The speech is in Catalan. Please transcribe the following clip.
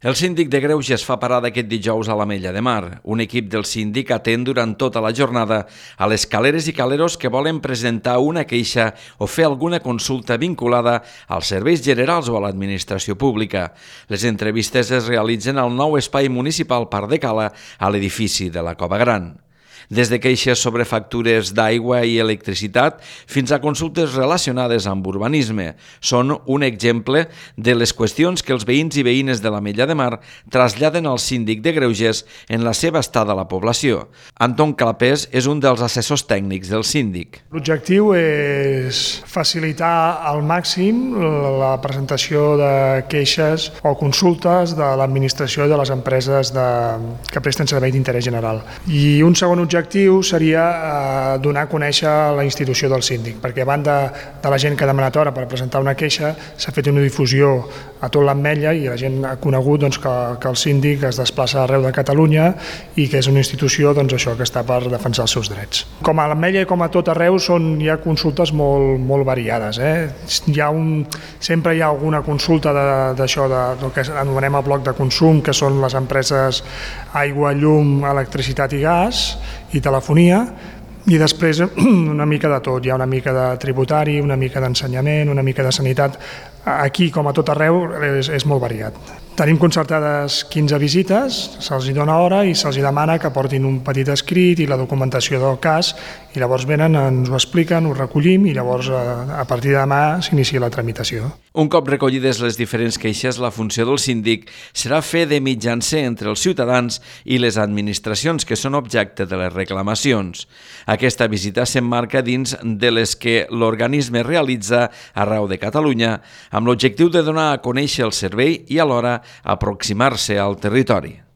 El síndic de Greuges fa parada aquest dijous a l'Ametlla de Mar. Un equip del síndic atén durant tota la jornada a les caleres i caleros que volen presentar una queixa o fer alguna consulta vinculada als serveis generals o a l'administració pública. Les entrevistes es realitzen al nou espai municipal Parc de Cala a l'edifici de la Cova Gran. Des de queixes sobre factures d'aigua i electricitat fins a consultes relacionades amb urbanisme. Són un exemple de les qüestions que els veïns i veïnes de l'Ametlla de Mar traslladen al síndic de Greuges en la seva estada a la població. Anton Clapés és un dels assessors tècnics del síndic. L'objectiu és facilitar al màxim la presentació de queixes o consultes de l'administració i de les empreses que presten servei d'interès general. I un segon objectiu seria donar a conèixer la institució del síndic, perquè a banda de la gent que ha demanat hora per presentar una queixa, s'ha fet una difusió a tot l'Ametlla i la gent ha conegut que el síndic es desplaça arreu de Catalunya i que és una institució que està per defensar els seus drets. Com a l'Ametlla i com a tot arreu hi ha consultes molt variades. Sempre hi ha alguna consulta d'això del que anomenem el bloc de consum, que són les empreses aigua, llum, electricitat i gas i telefonia, i després una mica de tot. Hi ha una mica de tributari, una mica d'ensenyament, una mica de sanitat. Aquí, com a tot arreu, és molt variat. Tenim concertades 15 visites, se'ls dona hora i se'ls demana que portin un petit escrit i la documentació del cas, i llavors venen, ens ho expliquen, ho recollim i llavors a partir de demà s'inicia la tramitació. Un cop recollides les diferents queixes, la funció del síndic serà fer de mitjancer entre els ciutadans i les administracions que són objecte de les reclamacions. Aquesta visita s'emmarca dins de les que l'organisme realitza arreu de Catalunya, amb l'objectiu de donar a conèixer el servei i alhora aproximar-se al territori.